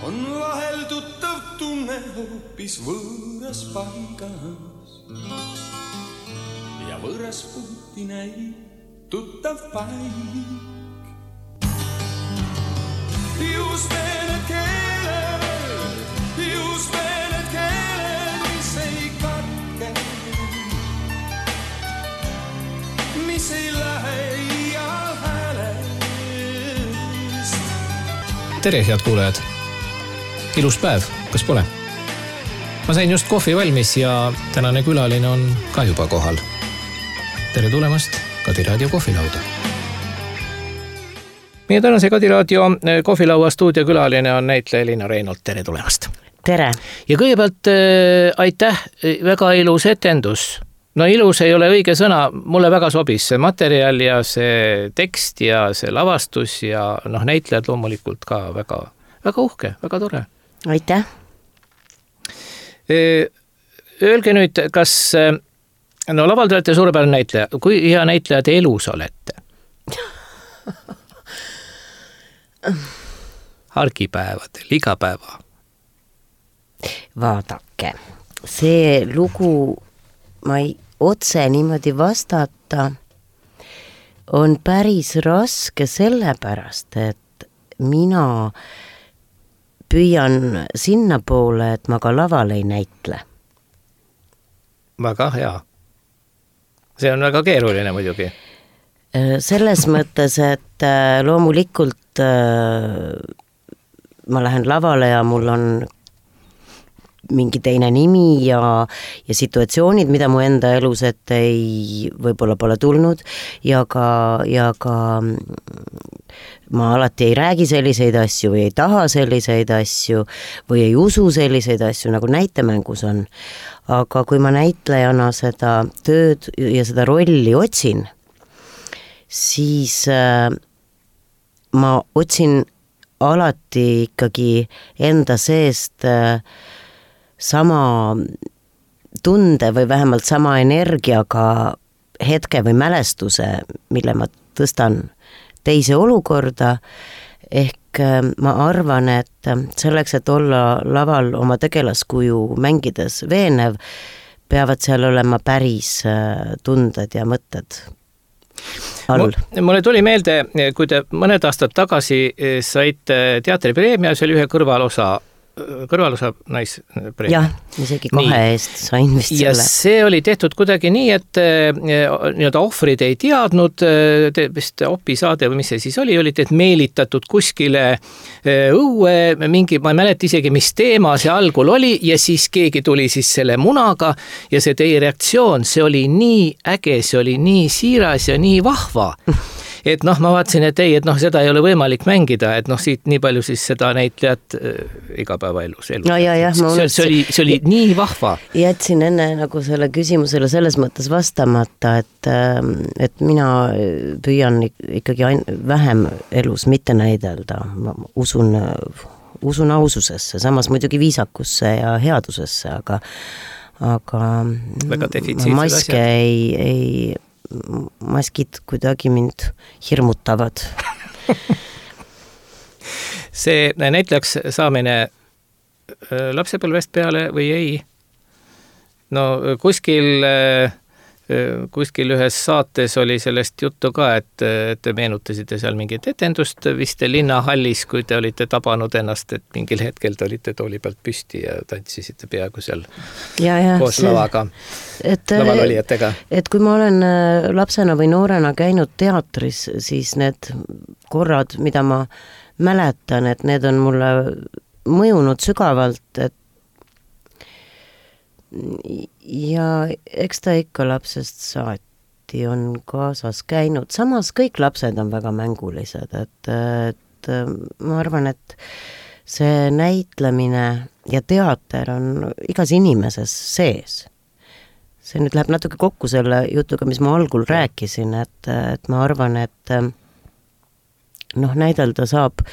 on vahel tuttav tunne hoopis võõras paigas ja võõras puhti näib tuttav paik. Just need keeled, mis ei katke, mis ei lähe iial häälest. Tere, head kuulajad! Ilus päev, kas pole? Ma sain just kohvi valmis ja tänane külaline on ka juba kohal. Tere tulemast Kadi Raadio kohvilauda. Meie tänase Kadi Raadio kohvilaua stuudiokülaline on näitleja Elina Reinolt. Tere tulemast! Tere! Ja kõigepealt aitäh, väga ilus etendus. No ilus ei ole õige sõna, mulle väga sobis see materjal ja see tekst ja see lavastus ja näitlejad loomulikult ka väga, väga uhke, väga tore. Aitäh! Öelge nüüd, kas laval te olete suurepärane näitleja, kui hea näitleja te elus olete? Argipäevadel, iga päeva. Vaadake, see lugu ma ei otse niimoodi vastata on päris raske sellepärast, et mina püüan sinna poole, et ma ka laval ei näitle. Väga hea. See on väga keeruline muidugi. Selles mõttes, et loomulikult ma lähen lavale ja mul on mingi teine nimi ja situatsioonid, mida mu enda elus ette võib-olla pole tulnud ja ka ma alati ei räägi selliseid asju või ei taha selliseid asju või ei usu selliseid asju, nagu näitemängus on. Aga kui ma näitlejana seda tööd ja seda rolli otsin, siis ma otsin alati ikkagi enda seest sama tunde või vähemalt sama energiaga hetke või mälestuse, mille ma tõstan teise olukorda, ehk ma arvan, et selleks, et olla laval oma tegelaskuju mängides veenev, peavad seal olema päris tunded ja mõtted all. Mulle tuli meelde, kui te mõned aastad tagasi saite teatripreemia, see oli ühe kõrvalosa naispreemia. Jah, isegi 2 eest sain vist ja selle. Ja see oli tehtud kuidagi nii, et nii-öelda ohvrid ei teadnud, vist opisaade või mis see siis oli, et meelitatud kuskile õue, mingi, ma ei mäleta isegi, mis teema see algul oli ja siis keegi tuli siis selle munaga ja see teie reaktsioon, see oli nii äge, see oli nii siiras ja nii vahva. Et ma vaatasin, et ei, et seda ei ole võimalik mängida, et siit nii palju siis seda näitlejat igapäevaelus. No ja, see oli nii vahva. Jätsin enne nagu selle küsimusele selles mõttes vastamata, et mina püüan ikkagi vähem elus mitte näidelda. Ma usun aususesse, samas muidugi viisakusse ja headusesse, aga maske maskid kuidagi mind hirmutavad. See näitlejaks saamine lapsepõlvest peale või ei? No kuskil ühes saates oli sellest juttu ka, et te meenutasite seal mingit etendust vist linnahallis, kui te olite tabanud ennast, et mingil hetkel te olite tooli pealt püsti ja tantsisite peaaegu seal koos lavaga, lavalolijatega. Et kui ma olen lapsena või noorena käinud teatris, siis need korrad, mida ma mäletan, et need on mulle mõjunud sügavalt, et ja eks ta ikka lapsest saati on kaasas käinud. Samas kõik lapsed on väga mängulised, et ma arvan, et see näitlemine ja teater on igas inimeses sees. See nüüd läheb natuke kokku selle jutuga, mis ma algul rääkisin, et ma arvan, et näidelda saab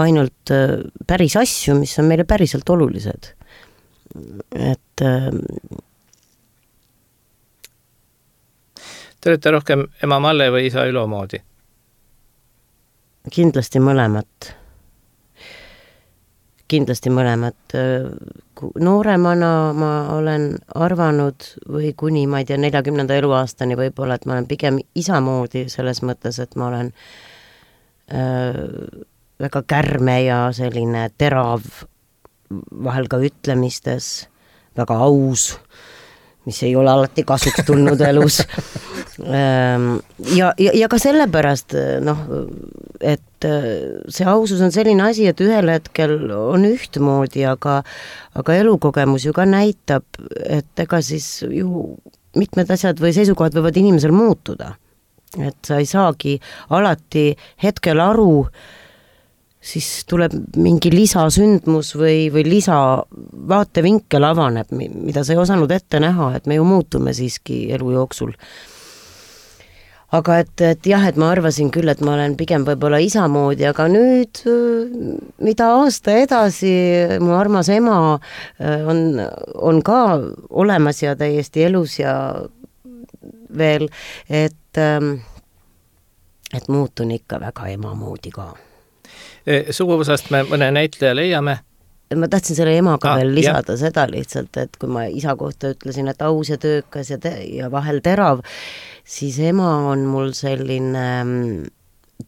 ainult päris asju, mis on meile päriselt olulised. Et Te olete rohkem ema Malle või isa Ülo moodi? Kindlasti mõlemat. kindlasti mõlemat. Nooremana ma olen arvanud või kuni, ma ei tea, 40. eluaastani võib-olla, et ma olen pigem isa moodi selles mõttes, et ma olen väga kärme ja selline terav vahel ka ütlemistes, väga aus, mis ei ole alati kasuks tulnud elus. Ja ka sellepärast, et see ausus on selline asi, et ühel hetkel on ühtmoodi, aga elukogemus ju ka näitab, et ega siis ju mitmed asjad või seisukohad võivad inimesel muutuda. Et sa ei saagi alati hetkel aru, siis tuleb mingi lisasündmus või lisa vaatevinkel avaneb, mida sa ei osanud ette näha, et me ju muutume siiski elu jooksul. Aga et jah, et ma arvasin küll, et ma olen pigem võib-olla isa moodi, aga nüüd, mida aasta edasi, mu armas ema on ka olemas ja täiesti elus ja veel, et muutun ikka väga ema moodi ka. Suguvõsast me mõne näitleja leiame. Ma tahtsin selle emaga veel lisada seda lihtsalt, et kui ma isa kohta ütlesin, et aus ja töökas ja vahel terav, siis ema on mul selline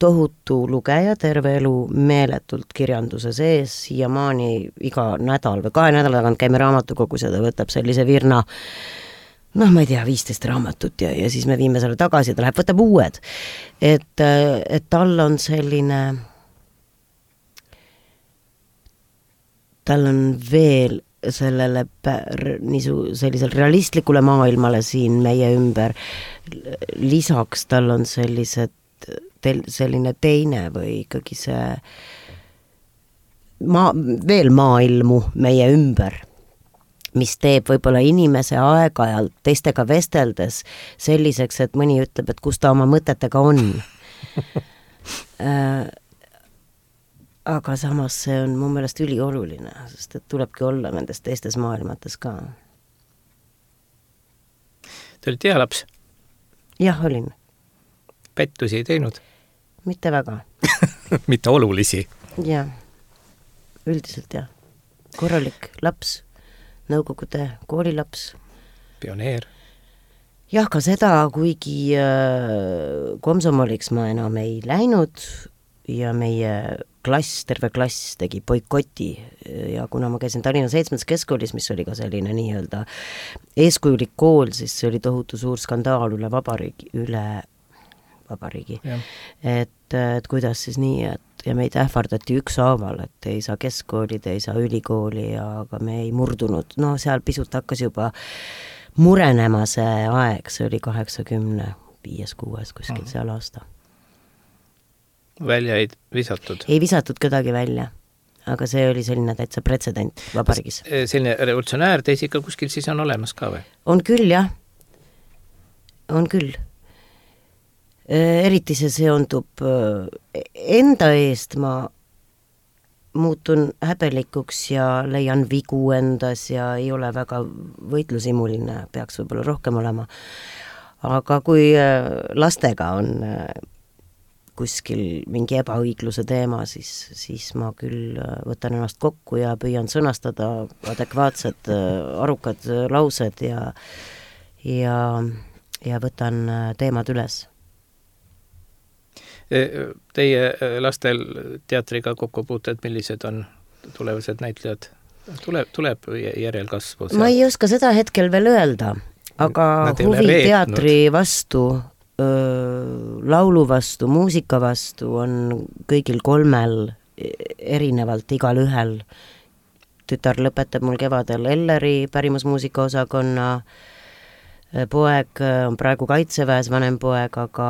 tohutu lugeja, terve elu meeletult kirjanduse sees, siiamaani iga nädal või 2 nädala tagant käime raamatukogus ja ta võtab sellise virna, ma ei tea, 15 raamatut ja siis me viime selle tagasi ja ta läheb, võtab uued. Et tal on selline... tal on veel sellele sellisel realistlikule maailmale siin meie ümber. Lisaks tal on selline teine või ikkagi see veel maailmu meie ümber, mis teeb võib-olla inimese aeg-ajalt teistega vesteldes selliseks, et mõni ütleb, et kus ta oma mõtetega on. Aga samas see on mu meelest ülioluline, sest et tulebki olla nendes teistes maailmates ka. Te olite hea laps? Jah, olin. Pettusi ei teinud? Mitte väga. Mitte olulisi? Jah, üldiselt jah. Korralik laps, nõukogude koolilaps. Pioneer? Jah, ka seda, kuigi komsomoliks ma enam ei läinud ja meie terve klass tegi boikoti ja kuna ma käisin Tallinna 7. keskkoolis, mis oli ka selline nii-öelda eeskujulik kool, siis see oli tohutu suur skandaal üle vabariigi. Et kuidas siis nii, et ja meid ähvardati ükshaaval, et ei saa keskkooli, ei saa ülikooli, aga me ei murdunud. Seal pisut hakkas juba murenema see aeg, see oli 85-6 kuskil seal aasta. Välja ei visatud? Ei visatud kedagi välja, aga see oli selline täitsa pretsedent vabariigis. Selline revolutsionäär teis ikka kuskil siis on olemas ka või? On küll, jah. On küll. Eriti see seondub enda eest, ma muutun häbelikuks ja leian vigu endas ja ei ole väga võitlusimuline, peaks võib-olla rohkem olema. Aga kui lastega on kuskil mingi ebaõigluse teema, siis ma küll võtan ennast kokku ja püüan sõnastada adekvaatsed, arukad laused ja võtan teemad üles. Teie lastel teatriga kokkupuuted, millised on tulevased näitlejad? Tuleb järelkasvu? Ma ei oska seda hetkel veel öelda, aga huvi teatri vastu, laulu vastu, muusika vastu on kõigil 3 erinevalt igal ühel. Tütar lõpetab mul kevadel Elleri pärimusmuusika osakonna, poeg on praegu Kaitseväes, vanem poeg, aga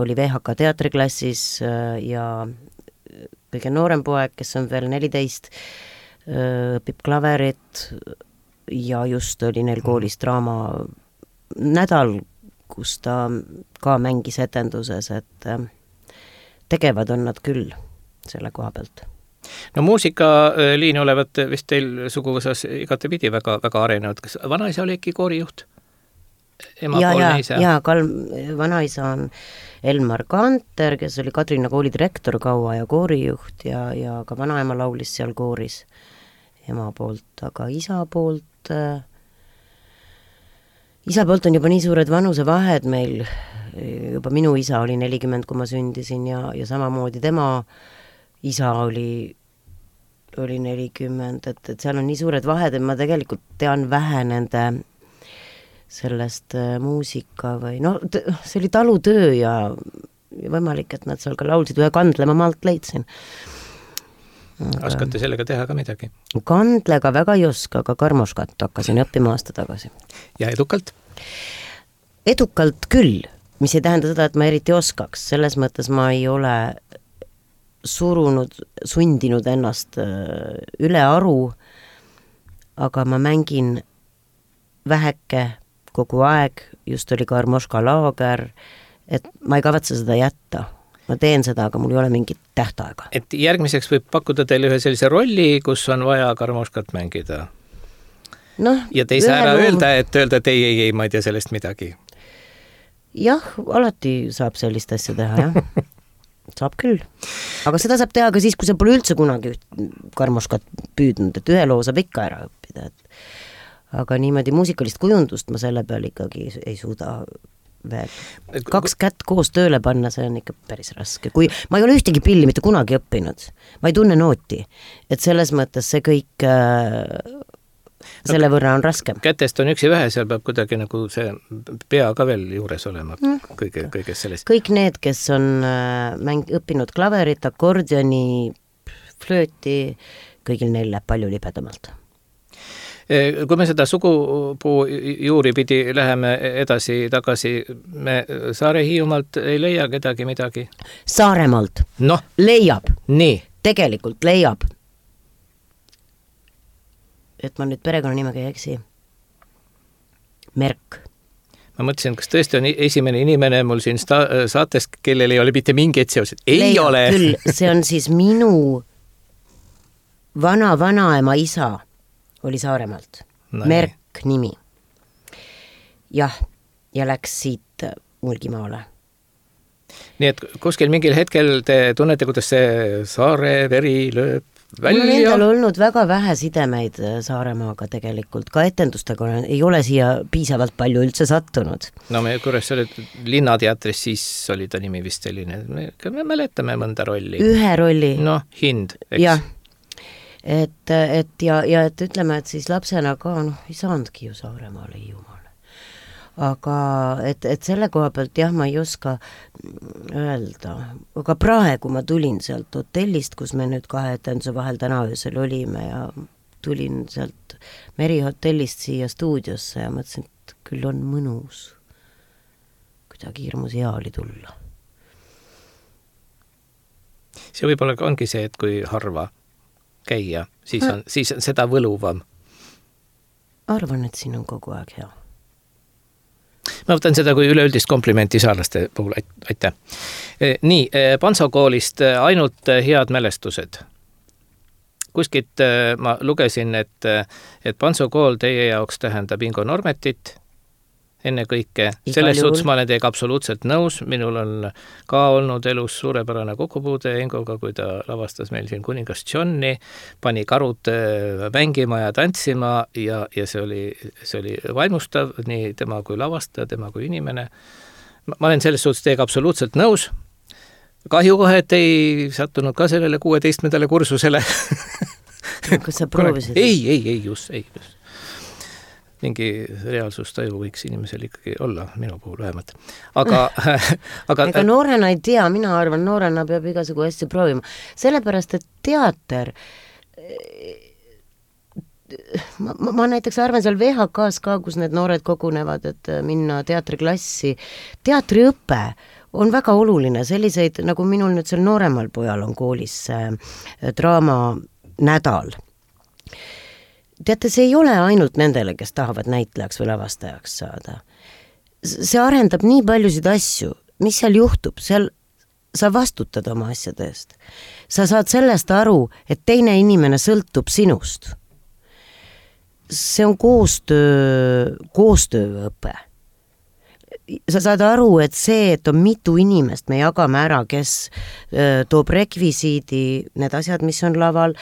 oli VHK teatriklassis ja kõige noorem poeg, kes on veel 14, õpib klaverit ja just oli neil koolis draama nädal, kus ta ka mängis etenduses, et tegevad on nad küll selle koha pealt. No muusikaliin olevat vist teil suguvõsas igatepidi väga, väga arenenud. Kas vanaisa oli äkki koorijuht? emapoolne isa? Jaa, vanaisa on Elmar Kanter, kes oli Kadrina kooli direktor kaua ja koorijuht ja ka vanaema laulis seal kooris ema poolt, aga isa poolt on juba nii suured vanusevahed meil, juba minu isa oli 40, kui ma sündisin ja samamoodi tema isa oli 40, et seal on nii suured vahed, et ma tegelikult tean vähe nende sellest muusika või see oli talutöö ja võimalik, et nad seal ka laulsid, ühe kandle ma maalt leidsin. Oskate sellega teha ka midagi? Kandlega väga ei oska, aga karmoškat hakkasin õppima aasta tagasi. Ja edukalt? Edukalt küll, mis ei tähenda seda, et ma eriti oskaks, selles mõttes ma ei ole sundinud ennast üle aru, aga ma mängin väheke kogu aeg, just oli Karmoška laager, et ma ei kavatse seda jätta. Ma teen seda, aga mul ei ole mingit tähtaega. Et järgmiseks võib pakkuda teile ühe sellise rolli, kus on vaja Karmoškat mängida. Ja te ei saa ära öelda, et ei, ma ei tea sellest midagi. Jah, alati saab sellist asja teha, jah. Saab küll. Aga seda saab teha ka siis, kui sa pole üldse kunagi Karmoškat püüdnud, et ühe loo saab ikka ära õppida. Aga niimoodi muusikalist kujundust ma selle peal ikkagi ei suuda veel. 2 kätt koos tööle panna, see on ikka päris raske. Kui ma ei ole ühtegi pilli mitte kunagi õppinud, ma ei tunne nooti, et selles mõttes see kõik selle võrra on raskem. Kätest on üksi vähe, seal peab kuidagi nagu see pea ka veel juures olema kõiges sellest. Kõik need, kes on õppinud klaverit, akordioni, flööti, kõigil neil läheb palju libedamalt. Kui me seda sugupuu juuri pidi läheme edasi-tagasi, me Saare-Hiiumaalt ei leia kedagi midagi? Saaremaalt? Leiab. Nii. Tegelikult leiab. Et ma nüüd perekonnanimega ei eksi. Merk. Ma mõtlesin, kas tõesti on esimene inimene mul siin saates, kellel ei ole mitte mingeid seoseid? Ei ole. Küll, see on siis minu vanaema isa oli Saaremaalt. Merk nimi. Jah, ja läks siit Mulgimaale. Nii et kuskil mingil hetkel te tunnete, kuidas see Saare veri lööb välja? Mul endal olnud väga vähe sidemeid Saaremaaga tegelikult, ka etendustega ei ole siia piisavalt palju üldse sattunud. Me korras olid Linnateatris, siis oli ta nimi vist selline, me mäletame mõnda rolli. Ühe rolli. Hind, eks? Jah. Et ütleme, et siis lapsena ka ei saanudki ju Saaremaale Hiiumaale. Aga et selle koha pealt jah, ma ei oska öelda. Aga praegu ma tulin sealt hotellist, kus me nüüd 2 etenduse vahel täna öösel olime ja tulin sealt Merihotellist siia stuudiosse ja mõtlesin, et küll on mõnus. Kuidagi hirmus hea oli tulla. See võib-olla ongi see, et kui harva käia, siis on seda võluvam. Arvan, et siin on kogu aeg hea. Ma võtan seda kui üleüldist komplimenti saarlaste puhul, aitäh. Nii, Panso koolist ainult head mälestused. Kuskilt ma lugesin, et Panso kool teie jaoks tähendab Ingo Normetit enne kõike. Selles suhtes ma olen teiega absoluutselt nõus. Minul on ka olnud elus suurepärane kokkupuude Ingoga, kui ta lavastas meil siin Kuningas Johni, pani karud mängima ja tantsima ja see oli vaimustav nii tema kui lavastaja, tema kui inimene. Ma olen selles suhtes teiega absoluutselt nõus. Kahju kohe, et ei sattunud ka sellele 16. kursusele. Kas sa proovisid? Ei, just. Mingi reaalsustaju võiks inimesel ikkagi olla, minu puhul vähemalt. Aga ega noorena ei tea, mina arvan, noorena peab igasugu asju proovima. Sellepärast, et teater, ma näiteks arvan seal VHK-s ka, kus need noored kogunevad, et minna teatriklassi. Teatriõpe on väga oluline, selliseid, nagu minul nüüd seal nooremal pojal on koolis draama nädal. Teate, see ei ole ainult nendele, kes tahavad näitlejaks või lavastajaks saada. See arendab nii paljusid asju, mis seal juhtub, seal sa vastutad oma asjade eest. Sa saad sellest aru, et teine inimene sõltub sinust. See on koostööõpe. sa saad aru, et see, et on mitu inimest, me jagame ära, kes toob rekvisiidi, need asjad, mis on laval,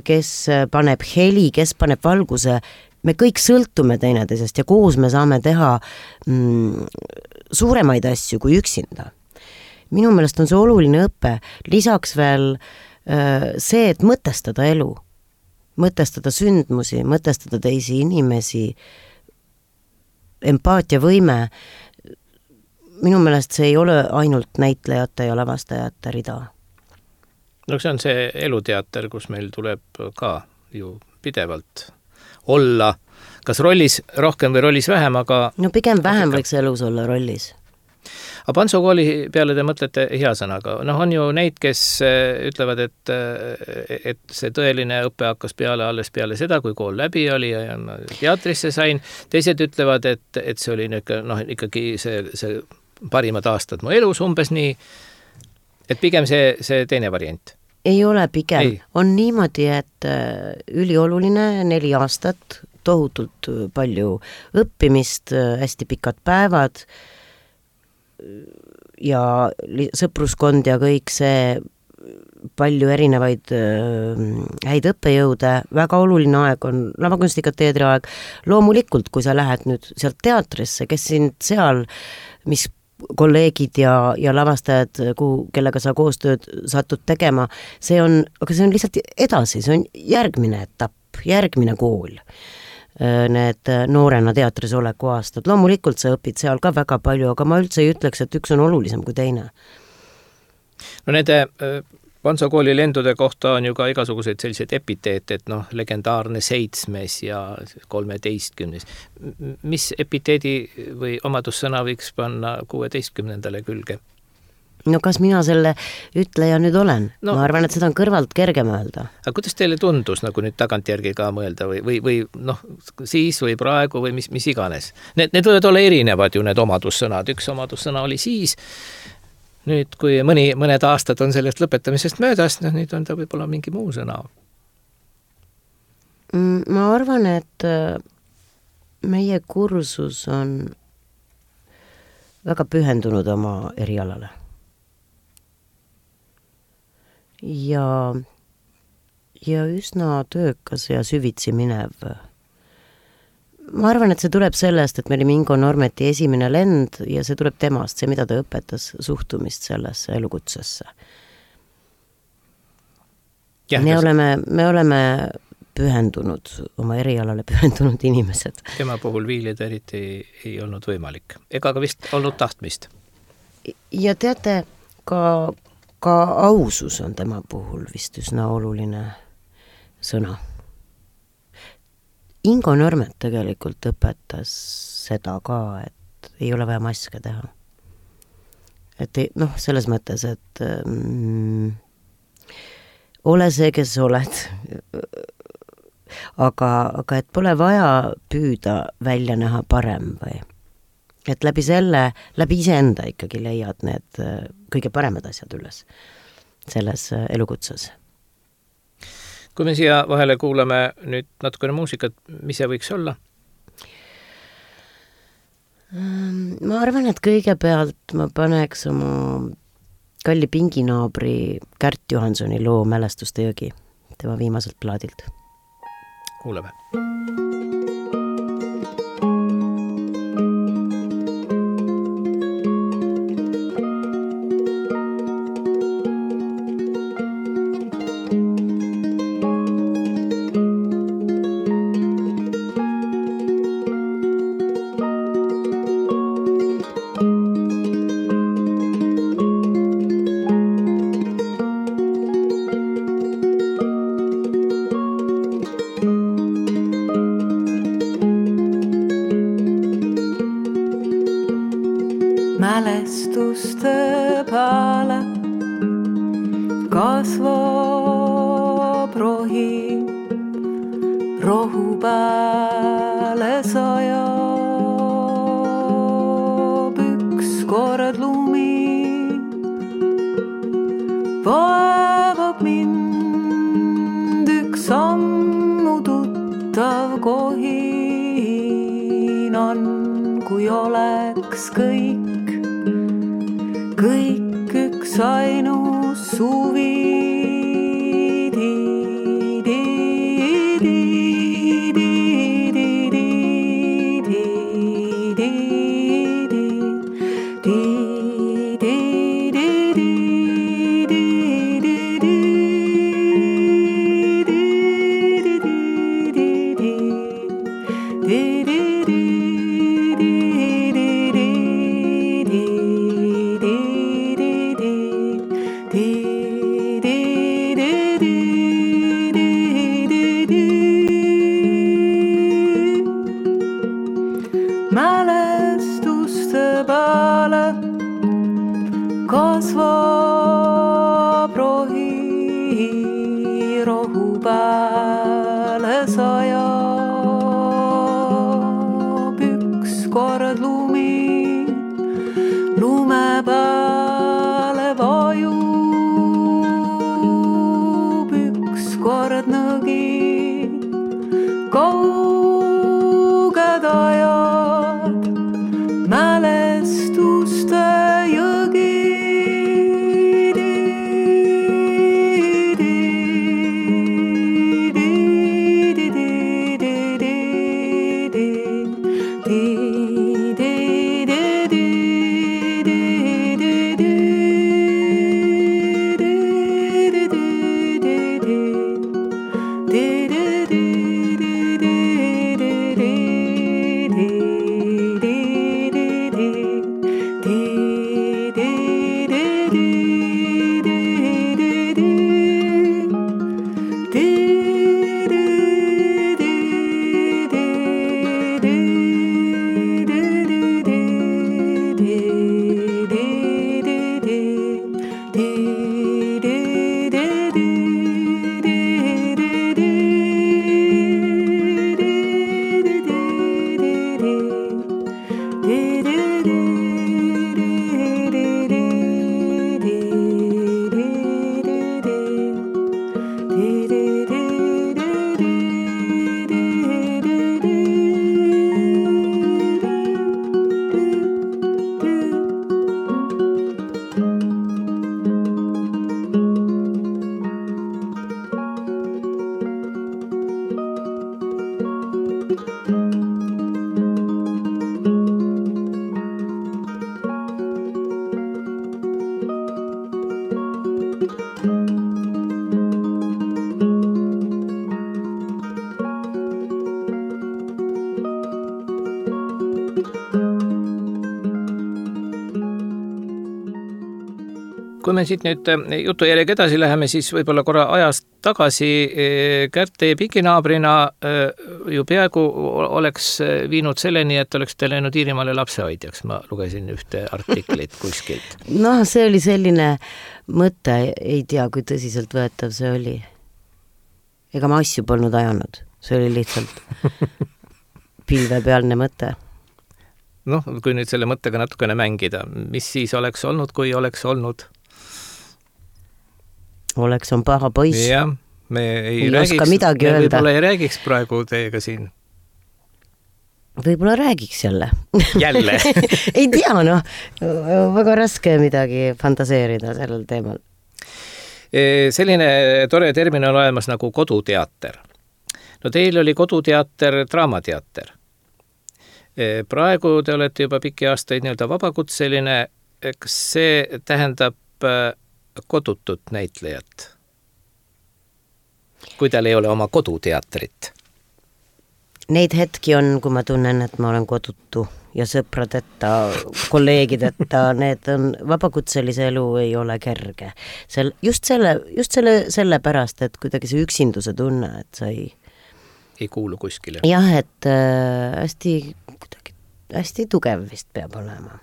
kes paneb heli, kes paneb valguse, me kõik sõltume teineteisest ja koos me saame teha suuremaid asju kui üksinda. Minu meelest on see oluline õpe, lisaks veel see, et mõtestada elu, mõtestada sündmusi, mõtestada teisi inimesi, empaatiavõime, minu meelest see ei ole ainult näitlejate ja lavastajate rida. No see on see eluteater, kus meil tuleb ka ju pidevalt olla, kas rollis rohkem või rollis vähem, aga... No pigem vähem võiks elus olla rollis. Aga Pantsu kooli peale te mõtlete hea sõnaga. On ju neid, kes ütlevad, et see tõeline õpe hakkas alles peale seda, kui kool läbi oli ja teatrisse sain. Teised ütlevad, et see oli ikkagi see parimad aastad mu elus umbes nii, et pigem see teine variant. Ei ole pigem. On niimoodi, et ülioluline 4 aastat, tohutult palju õppimist, hästi pikad päevad ja sõpruskond ja kõik see, palju erinevaid häid õppejõude, väga oluline aeg on lavakunstiga teatriaeg. Loomulikult, kui sa lähed nüüd sealt teatrisse, kes sind seal, mis kolleegid ja lavastajad, kellega sa koostööd satud tegema, aga see on lihtsalt edasi, see on järgmine etapp, järgmine kool. Need noorena teatris oleku aastad. Loomulikult sa õpid seal ka väga palju, aga ma üldse ei ütleks, et üks on olulisem kui teine. No nende Pantsu kooli lendude kohta on ju ka igasuguseid selliseid epiteete, et legendaarne 7. ja 13. Mis epiteedi või omadussõna võiks panna 16. külge? No kas mina selle ütleja nüüd olen? Ma arvan, et seda on kõrvalt kergem öelda. Aga kuidas teile tundus nagu nüüd tagantjärgi ka mõelda või siis või praegu või mis iganes? Need võivad olla erinevad ju need omadussõnad. Üks omadussõna oli siis, nüüd kui mõned aastad on sellest lõpetamisest möödas, nüüd on ta võib-olla mingi muu sõna. Ma arvan, et meie kursus on väga pühendunud oma erialale. Ja üsna töökas ja süvitsi minev. Ma arvan, et see tuleb sellest, et me olime Ingo Normeti esimene lend ja see tuleb temast, see, mida ta õpetas suhtumist sellesse elukutsesse. Me oleme pühendunud, oma erialale pühendunud inimesed. Tema puhul viilida eriti ei olnud võimalik, ega ka vist olnud tahtmist. Ja teate, ka ausus on tema puhul vist üsna oluline sõna. Ingo Normet tegelikult õpetas seda ka, et ei ole vaja maske teha. Et selles mõttes, et ole see, kes oled. Aga et pole vaja püüda välja näha parem või et läbi iseenda ikkagi leiad need kõige paremad asjad üles selles elukutses. Kui me siia vahele kuulame nüüd natukene muusikat, mis see võiks olla? Ma arvan, et kõigepealt ma paneks oma kalli pinginaabri Kärt Johansoni loo Mälestuste jõgi, tema viimaselt plaadilt. Kuuleme. Mälestuste peale kasvab rohi, rohu peale sajab ükskord lumi, vaevab mind üks sammu tuttav kohin on, kui kui oleks kõik üks ainus suvi. Mälestuste peale kasvab rohi, rohu peale sajab ükskord lumi, lume peale vajub ükskord nõgi, kauged ajad, mälestuste jõgi. Kui me siit nüüd jutujärjega edasi läheme, siis võib-olla korra ajast tagasi Kärt teie piginaabrina ju peaaegu oleks viinud selleni, et oleks te läinud Iirimaale lapsehoidjaks. Ma lugesin ühte artiklit kuskilt. No see oli selline mõte, ei tea, kui tõsiselt võetav see oli. Ega ma asju polnud ajanud. See oli lihtsalt pilvepealne mõte. Noh, kui nüüd selle mõttega natukene mängida, mis siis oleks olnud, kui oleks olnud? Oleks on paha poiss. Jah, me ei võib-olla ei räägiks praegu teiega siin. Võib-olla räägiks jälle. Jälle? Ei tea, noh, väga raske midagi fantaseerida sellel teemal. Selline tore termin on olemas nagu koduteater. No teil oli koduteater, draamateater. Praegu te olete juba pikki aastaid nii-öelda vabakutseline. Kas see tähendab kodutut näitlejat? Kui tal ei ole oma koduteatrit? Neid hetki on, kui ma tunnen, et ma olen kodutu ja sõpradeta, kolleegideta, need on, vabakutselise elu ei ole kerge. Just selle pärast, et kuidagi see üksinduse tunne, et sa ei kuulu kuskile. Jah, et hästi tugev vist peab olema.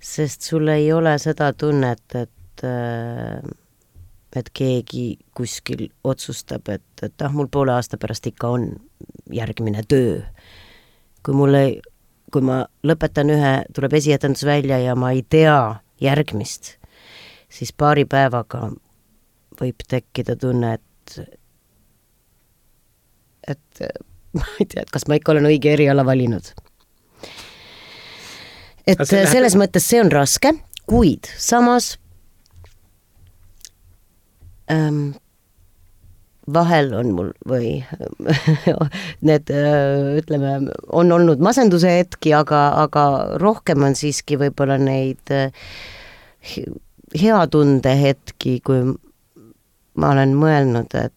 Sest sul ei ole seda tunnet, et keegi kuskil otsustab, et mul poole aasta pärast ikka on järgmine töö. Kui ma lõpetan tuleb esietendus välja ja ma ei tea järgmist, siis paari päevaga võib tekkida tunne, et ma ei tea, et kas ma ikka olen õige eriala valinud. et selles mõttes see on raske, kuid samas vahel on mul või need, ütleme, on olnud masenduse hetki, aga rohkem on siiski võib-olla neid hea tunde hetki, kui ma olen mõelnud, et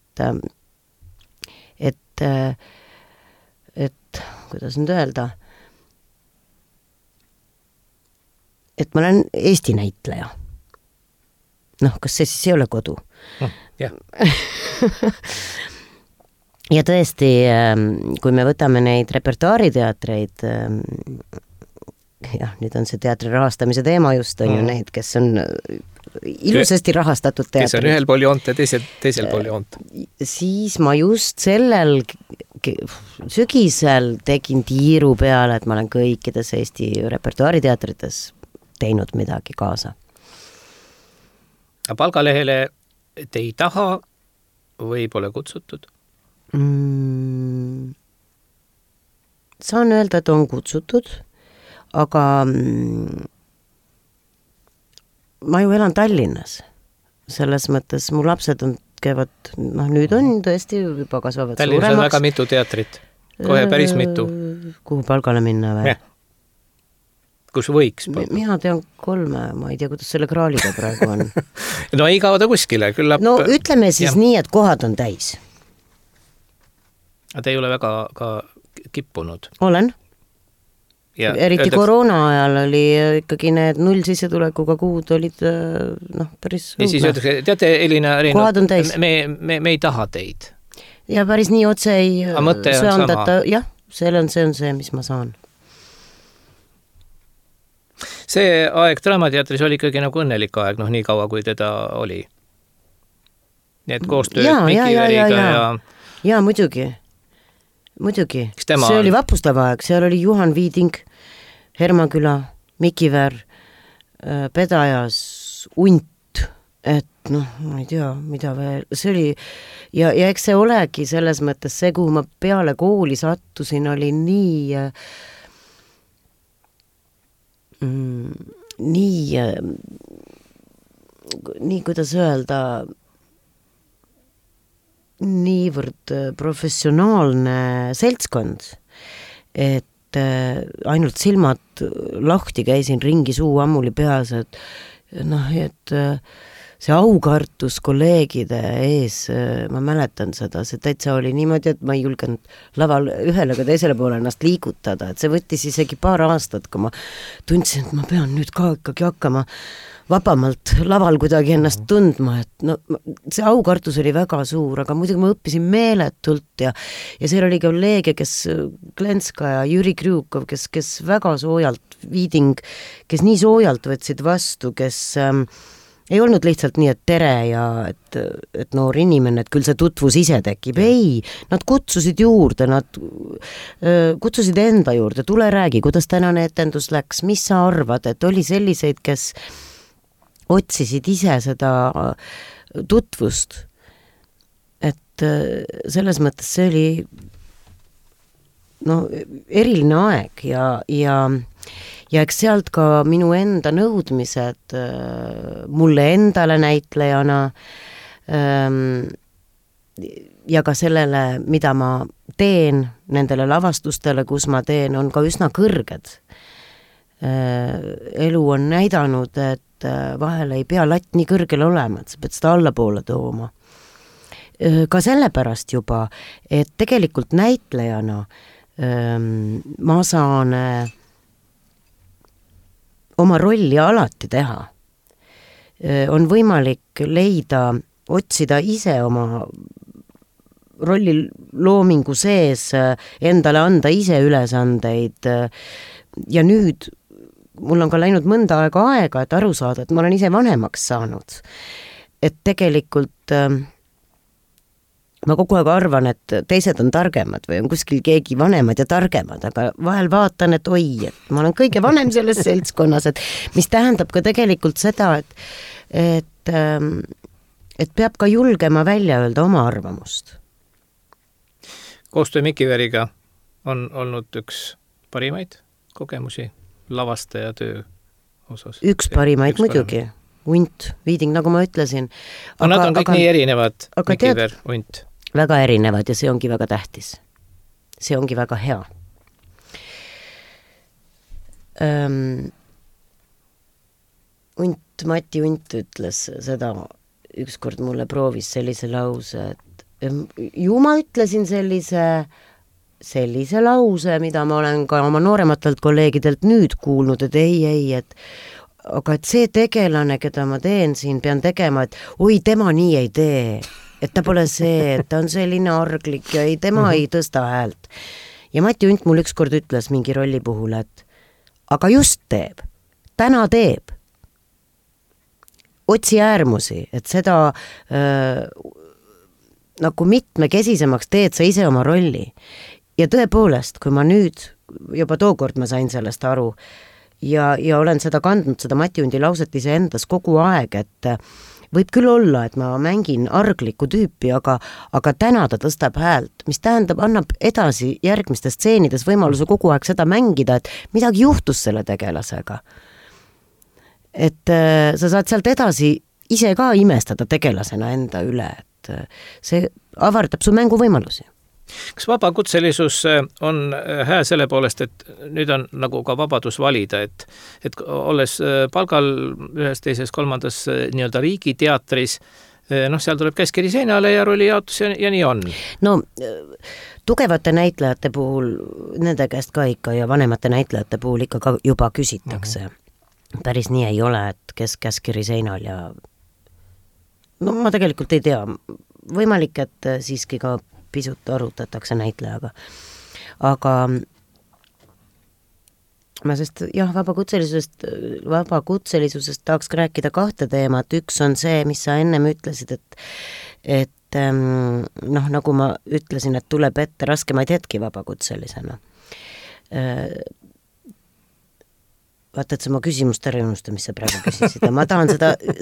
kuidas nüüd öelda, et ma olen Eesti näitleja. Noh, kas see siis ei ole kodu? Jah. Ja tõesti, kui me võtame neid repertuaariteatreid, jah, nüüd on see teatri rahastamise teema just, on ju neid, kes on ilusasti rahastatud teatrid. Kes on ühel pool joont ja teisel pool joont. Siis ma just sellel sügisel tegin tiiru peale, et ma olen kõikides Eesti repertuaariteatrites teinud midagi kaasa. Palgalehele te ei taha või pole kutsutud? Saan öelda, et on kutsutud, aga ma ju elan Tallinnas. Selles mõttes mu lapsed käivad, nüüd on tõesti juba kasvavad Tallinnas suuremaks. On väga mitu teatrit, kohe päris mitu. Kuhu palgale minna või? Kus võiks? Mina tean 3, ma ei tea, kuidas selle kraaliga praegu on. No ei kao ta kuskile, küllap... No ütleme siis nii, et kohad on täis. Te ei ole väga ka kippunud? Olen. Ja eriti koroona ajal oli ikkagi need 0 sissetulekuga kuud olid päris ja siis öeldakse, teate, Elina Reino, kohad on täis. Me ei taha teid. Ja päris nii otse ei söandata. Jah, see on see, mis ma saan. See aeg Draamateatris oli ikkagi nagu õnnelik aeg, nii kaua kui teda oli. Nii et koostööd Miki Veriga ja muidugi. See oli vapustava aeg, seal oli Juhan Viiding, Hermaküla, Miki Ver, Pedajas, Unt, et ma ei tea, mida veel, see oli, ja eks see olegi selles mõttes see, kuhu ma peale kooli sattusin, oli nii, kuidas öelda, niivõrd professionaalne seltskond, et ainult silmad lahti käisin ringi, suu ammuli peas, et see aukartus kolleegide ees, ma mäletan seda, see täitsa oli niimoodi, et ma ei julgenud laval ühele ka teisele poole ennast liigutada, et see võttis isegi paar aastat, kui ma tundsin, et ma pean nüüd ka ikkagi hakkama vabamalt laval kuidagi ennast tundma, et see aukartus oli väga suur, aga muidugi ma õppisin meeletult ja seal oli kolleege, kes Glenska ja Jüri Krjukov, kes väga soojalt, Viiding, kes nii soojalt võtsid vastu, kes ei olnud lihtsalt nii, et tere ja et noor inimene, et küll see tutvus ise tekib. Ei, nad kutsusid juurde, nad kutsusid enda juurde, tule räägi, kuidas tänane etendus läks, mis sa arvad, et oli selliseid, kes otsisid ise seda tutvust. Et selles mõttes see oli eriline aeg ja eks sealt ka minu enda nõudmised mulle endale näitlejana ja ka sellele, mida ma teen, nendele lavastustele, kus ma teen, on ka üsna kõrged. Elu on näidanud, et vahel ei pea latt nii kõrgel olema, et sa pead seda allapoole tooma. Ka sellepärast juba, et tegelikult näitlejana ma saan oma rolli alati teha. On võimalik leida, otsida ise oma rolli loomingu sees, endale anda ise ülesandeid ja nüüd mul on ka läinud mõnda aega, et aru saada, et ma olen ise vanemaks saanud. Et tegelikult ma kogu aeg arvan, et teised on targemad või on kuskil keegi vanemad ja targemad, aga vahel vaatan, et oi, et ma olen kõige vanem selles seltskonnas, et mis tähendab ka tegelikult seda, et peab ka julgema välja öelda oma arvamust. Koostöö Miki Veriga on olnud üks parimaid kogemusi, lavastaja töö osas? Üks parimaid muidugi, Unt, Viiding, nagu ma ütlesin. Aga nad on kõik nii erinevad, Mikiver, Unt. Väga erinevad ja see ongi väga tähtis. See ongi väga hea. Mati Unt ütles seda, ükskord mulle proovis sellise lause, et ju ma ütlesin sellise lause, mida ma olen ka oma noorematelt kolleegidelt nüüd kuulnud, et ei, aga et see tegelane, keda ma teen siin, pean tegema, et oi, tema nii ei tee, et ta pole see, et ta on selline arglik ja ei, tema ei tõsta häält. Ja Mati Unt mul ükskord ütles mingi rolli puhul, et aga just teeb, täna teeb. Otsi äärmusi, et seda nagu mitmekesisemaks teed sa ise oma rolli. Ja tõepoolest, kui ma nüüd, juba tookord ma sain sellest aru ja olen seda kandnud, seda Mati Undi lauset ise endas kogu aeg, et võib küll olla, et ma mängin arglikku tüüpi, aga täna ta tõstab häält, mis tähendab, annab edasi järgmistes stseenides võimaluse kogu aeg seda mängida, et midagi juhtus selle tegelasega. Et sa saad sealt edasi ise ka imestada tegelasena enda üle, et see avardab su mänguvõimalusi. Kas vabakutselisus on hää selle poolest, et nüüd on nagu ka vabadus valida, et olles palgal ühes, teises, kolmandas nii-öelda riigiteatris, seal tuleb käskiri seinale ja rollijaotus ja nii on? No, tugevate näitlejate puhul, nende käest ka ikka ja vanemate näitlejate puhul ikka ka juba küsitakse. Päris nii ei ole, et kes käskiri seinal ja no ma tegelikult ei tea, võimalik, et siiski ka pisut arutatakse näitlejaga. Aga ma sest jah, vabakutselisusest tahaks rääkida kahte teemat. Üks on see, mis sa ennem ütlesid, et nagu ma ütlesin, et tuleb ette raskemaid hetki vabakutselisena. Vaata, et sa oma küsimust ära unusta, mis sa praegu küsisid. Ma tahan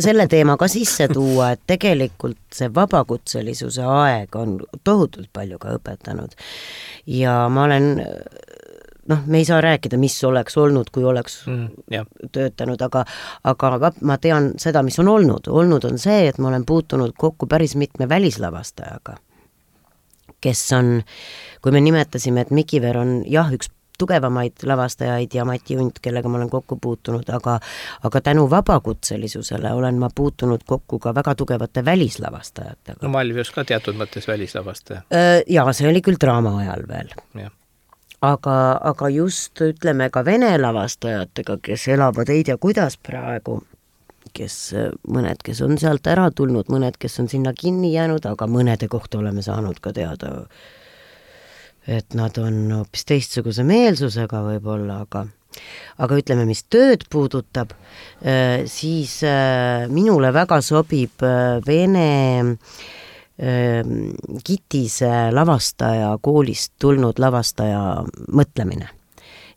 selle teema ka sisse tuua, et tegelikult see vabakutselisuse aeg on tohutult palju ka õpetanud. Ja ma olen, me ei saa rääkida, mis oleks olnud, kui oleks töötanud, aga ma tean seda, mis on olnud. Olnud on see, et ma olen puutunud kokku päris mitme välislavastajaga, kes on, kui me nimetasime, et Mikiver on üks tugevamaid lavastajaid ja Mati Unt, kellega ma olen kokku puutunud, aga tänu vabakutselisusele olen ma puutunud kokku ka väga tugevate välislavastajatega. No Malvius ka teatud mõttes välislavastaja. Jaa, see oli küll draama ajal veel. Ja. Aga just ütleme ka vene lavastajatega, kes elavad ei tea kuidas praegu, mõned, kes on sealt ära tulnud, mõned, kes on sinna kinni jäänud, aga mõnede kohta oleme saanud ka teada, et nad on hoopis teistsuguse meelsusega võib-olla, aga ütleme, mis tööd puudutab, siis minule väga sobib Vene Kitise lavastaja, koolist tulnud lavastaja mõtlemine.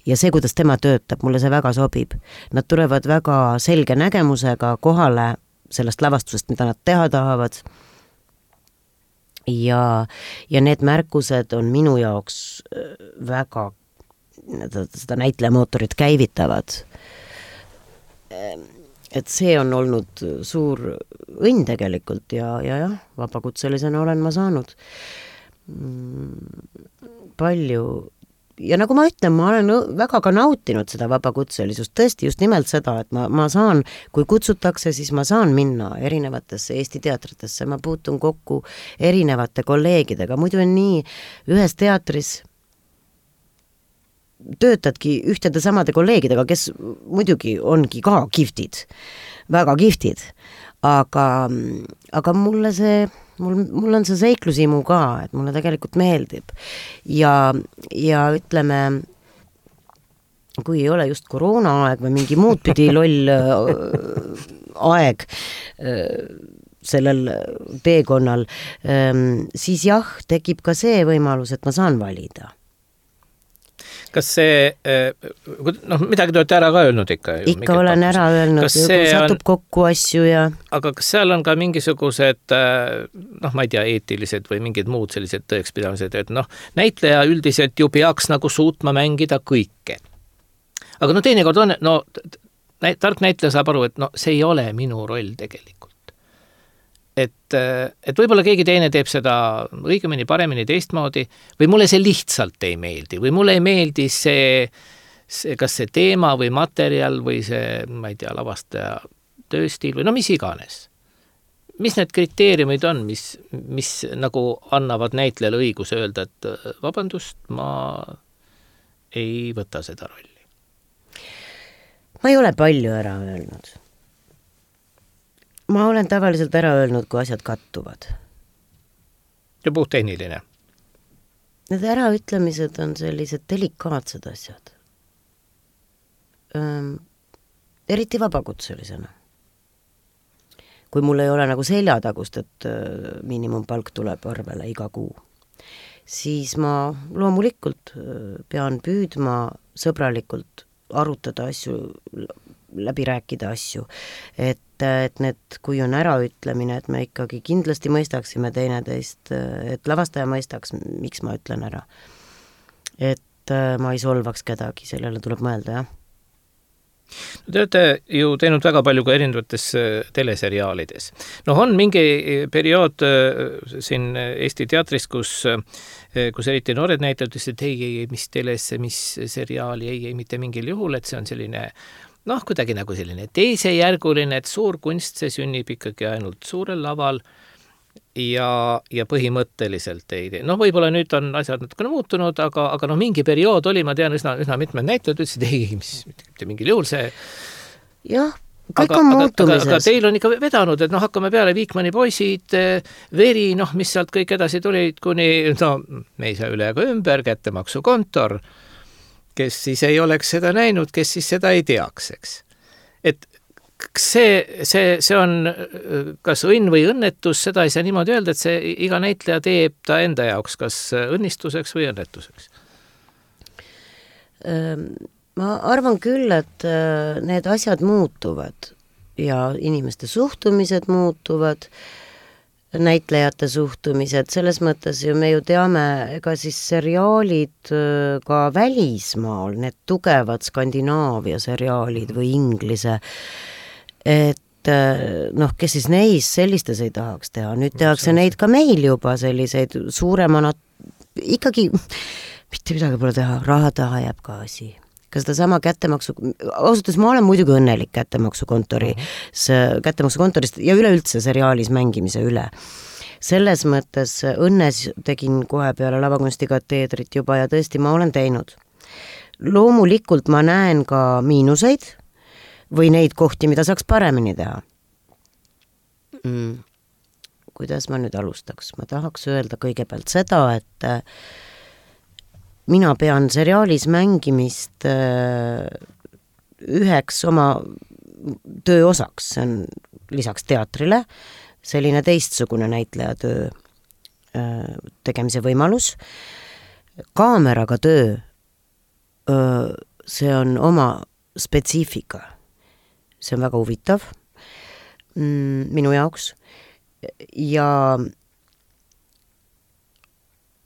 Ja see, kuidas tema töötab, mulle see väga sobib. Nad tulevad väga selge nägemusega kohale sellest lavastusest, mida nad teha tahavad. Ja need märkused on minu jaoks väga seda näitlejamootorit käivitavad. Et see on olnud suur õnn tegelikult ja vabakutselisena olen ma saanud palju. Ja nagu ma ütlen, ma olen väga ka nautinud seda vabakutselisust, tõesti just nimelt seda, et ma saan, kui kutsutakse, siis ma saan minna erinevatesse Eesti teatritesse, ma puutun kokku erinevate kolleegidega, muidu on nii, ühes teatris töötadki ühtede samade kolleegidega, kes muidugi ongi ka kihvtid, väga kihvtid, aga mulle see mul on see seiklusimu ka, et mulle tegelikult meeldib. Ja ütleme, kui ei ole just koroona aeg või mingi muud pidi loll aeg sellel teekonnal, siis tekib ka see võimalus, et ma saan valida. Kas see, midagi te olete ära ka öelnud ikka? Ikka olen ära öelnud, kui satub kokku asju ja... Aga kas seal on ka mingisugused, ma ei tea, eetilised või mingid muud sellised tõekspidamised, et näitleja üldiselt ju peaks nagu suutma mängida kõike. aga no teinekord on, tark näitleja saab aru, et see ei ole minu roll tegelikult. Et võib-olla keegi teine teeb seda õigemini, paremini, teistmoodi või mulle see lihtsalt ei meeldi või mulle ei meeldi see kas see teema või materjal või see, ma ei tea, lavastaja tööstiil või mis iganes. Mis need kriteeriumid on, mis nagu annavad näitlejale õiguse öelda, et vabandust, ma ei võta seda rolli? Ma ei ole palju ära öelnud. Ma olen tavaliselt ära öelnud, kui asjad kattuvad. Ja puhtehniline? Need äraütlemised on sellised delikaatsed asjad. Eriti vabakutselisena. Kui mul ei ole nagu seljatagust, et miinimumpalk tuleb arvele iga kuu, siis ma loomulikult pean püüdma sõbralikult arutada asju, läbi rääkida asju, et need, kui on äraütlemine, et me ikkagi kindlasti mõistaksime teineteist, et lavastaja mõistaks, miks ma ütlen ära. Et ma ei solvaks kedagi, sellele tuleb mõelda, jah. Te olete ju teinud väga palju ka erinevates teleseriaalides. On mingi periood siin Eesti teatris, kus eriti noored näitajad ütlesid, et ei, mis telesse, mis seriaali, ei, mitte mingil juhul, et see on selline kuidagi nagu selline teisejärguline, et suur kunst, see sünnib ikkagi ainult suurel laval ja põhimõtteliselt ei tee. Võib-olla nüüd on asjad natukene muutunud, aga mingi periood oli, ma tean, üsna mitmed näitajad ütlesid, ei, mitte mingil juhul see. Jah, kõik on muutumises. Aga teil on ikka vedanud, et hakkame peale Viikmani poisid, Veri, mis sealt kõik edasi tulid, kuni, me ei saa üle ega ümber, kättemaksukontor, kes siis ei oleks seda näinud, kes siis seda ei teaks, eks. Et see on kas õnn või õnnetus, seda ei saa niimoodi öelda, et see iga näitleja teeb ta enda jaoks kas õnnistuseks või õnnetuseks. Ma arvan küll, et need asjad muutuvad ja inimeste suhtumised muutuvad, näitlejate suhtumised, selles mõttes ju me ju teame, ega siis seriaalid ka välismaal, need tugevad Skandinaavia seriaalid või inglise, et kes siis neis sellistes ei tahaks teha, nüüd tehakse neid ka meil juba selliseid suuremana, ikkagi mitte midagi pole teha, raha taha jääb ka asi. Ka seda sama kättemaksu, ausalt, ma olen muidugi õnnelik kättemaksukontorist ja üleüldse seriaalis mängimise üle. Selles mõttes õnnes tegin kohe peale lavakunstikateedrit juba ja tõesti ma olen teinud. Loomulikult ma näen ka miinuseid või neid kohti, mida saaks paremini teha. Kuidas ma nüüd alustaks? Ma tahaks öelda kõigepealt seda, et mina pean seriaalis mängimist üheks oma töö osaks, see on lisaks teatrile selline teistsugune näitleja töö tegemise võimalus. Kaameraga töö, see on oma spetsiifika. See on väga huvitav minu jaoks.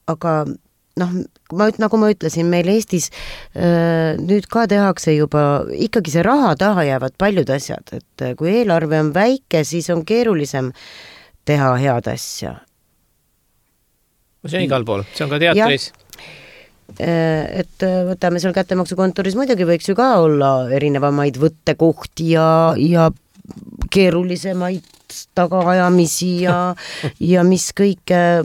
Aga nagu ma ütlesin, meil Eestis nüüd ka tehakse juba, ikkagi see raha taha jäävad paljud asjad, et kui eelarve on väike, siis on keerulisem teha head asja. See on igal pool, see on ka teatris. Et võtame seal kättemaksukontoris, muidugi võiks ju ka olla erinevamaid võttekohti ja keerulisemaid tagaajamisi ja mis kõik, ja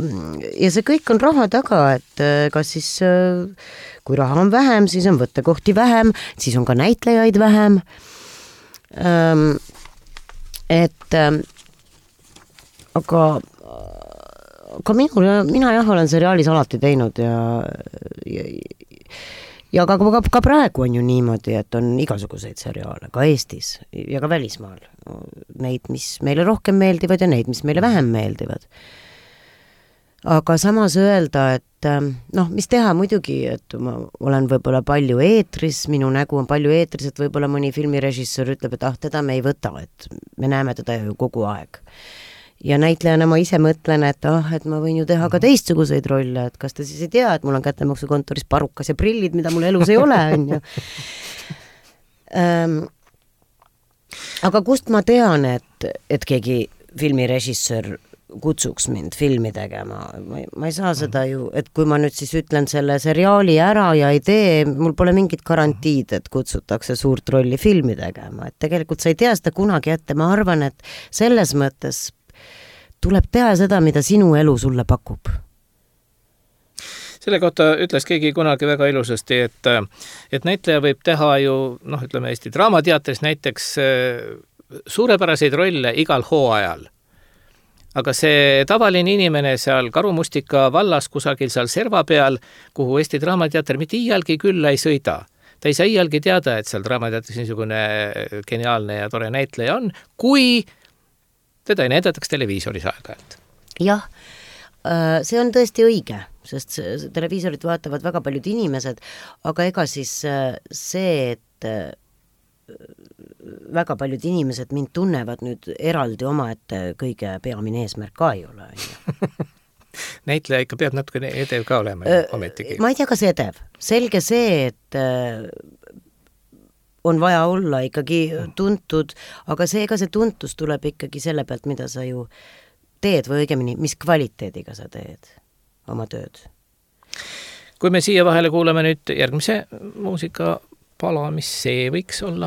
see kõik on raha taga, et kas siis kui raha on vähem, siis on võttekohti vähem, siis on ka näitlejaid vähem, aga mina jah olen seriaalis alati teinud ja ka praegu on ju niimoodi, et on igasuguseid seriaale ka Eestis ja ka välismaal. Neid, mis meile rohkem meeldivad ja neid, mis meile vähem meeldivad. Aga samas öelda, et mis teha muidugi, et ma olen võib-olla palju eetris, minu nägu on palju eetris, et võib-olla mõni filmirežissöör ütleb, et teda me ei võta, et me näeme teda ju kogu aeg. Ja näitlejana ma ise mõtlen, et ma võin ju teha ka teistsuguseid rolle, et kas te siis ei tea, et mul on kättemaksukontoris parukas ja prillid, mida mul elus ei ole, on ju. Aga kust ma tean, et keegi filmirežissöör kutsuks mind filmi tegema, ma ei saa seda ju, et kui ma nüüd siis ütlen selle seriaali ära ja ei tee, mul pole mingit garantiid, et kutsutakse suurt rolli filmi tegema, et tegelikult sa ei tea seda kunagi ette, ma arvan, et selles mõttes tuleb teha seda, mida sinu elu sulle pakub. Selle kohta ütles keegi kunagi väga ilusasti, et näitleja võib teha ju, ütleme Eesti Draamateatris näiteks suurepäraseid rolle igal hooajal. Aga see tavaline inimene seal Karumustika vallas kusagil seal serva peal, kuhu Eesti Draamateater mitte iialgi külla ei sõida. Ta ei saa iialgi teada, et seal Draamateatris niisugune geniaalne ja tore näitleja on, kui teda ei näidataks televiisoris aeg-ajalt. Jah, see on tõesti õige, sest televiisorit vaatavad väga paljud inimesed, aga ega siis see, et väga paljud inimesed mind tunnevad nüüd eraldi omaette kõige peamine eesmärk ka ei ole. Näitleja ikka peab natuke edev ka olema ometigi. Ma ei tea, kas edev. Selge see, et on vaja olla ikkagi tuntud, aga see tuntus tuleb ikkagi selle pealt, mida sa ju teed või õigemini, mis kvaliteediga sa teed oma tööd. Kui me siia vahele kuuleme nüüd järgmise muusikapala, mis see võiks olla?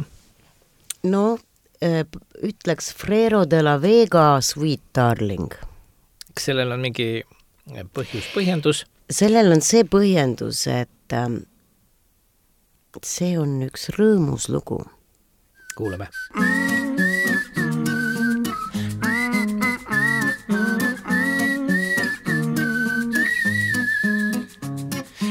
No, ütleks Frero de la Vega Sweet Darling. Kas sellel on mingi põhjendus? Sellel on see põhjendus, et see on üks rõõmus lugu. Kuulame.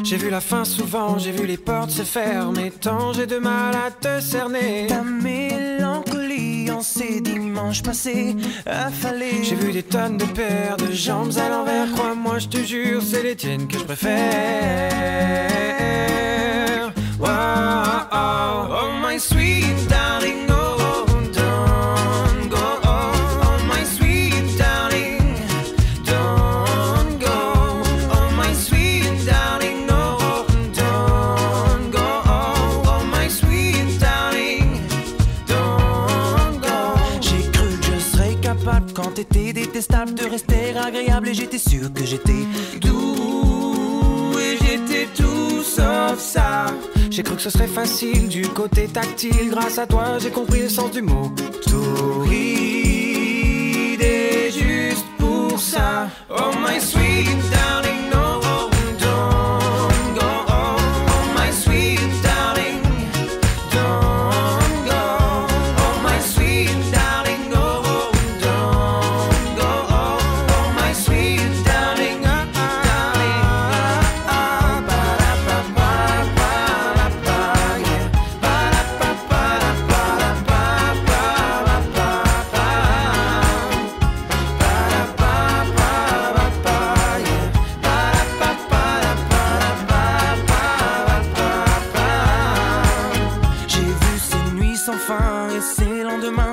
J'ai vu la fin souvent, j'ai vu les portes se fermer, tant j'ai de mal à te cerner. Ta mélancolie en ces dimanches passés affalés. J'ai vu des tonnes de paires de jambes à l'envers, crois-moi, je te jure, c'est les tiennes que je préfère. Wow, oh, oh my sweet darling, oh, don't go, oh my sweet darling, don't go, oh my sweet darling. Quand t'étais détestable, de rester agréable, et j'étais sûr que j'étais doux, et j'étais tout sauf ça. J'ai cru que ce serait facile du côté tactile. Grâce à toi, j'ai compris le sens du mot torride, et juste pour ça, oh my sweet darling, no, don't go, oh my sweet darling, don't go, oh my sweet darling, no.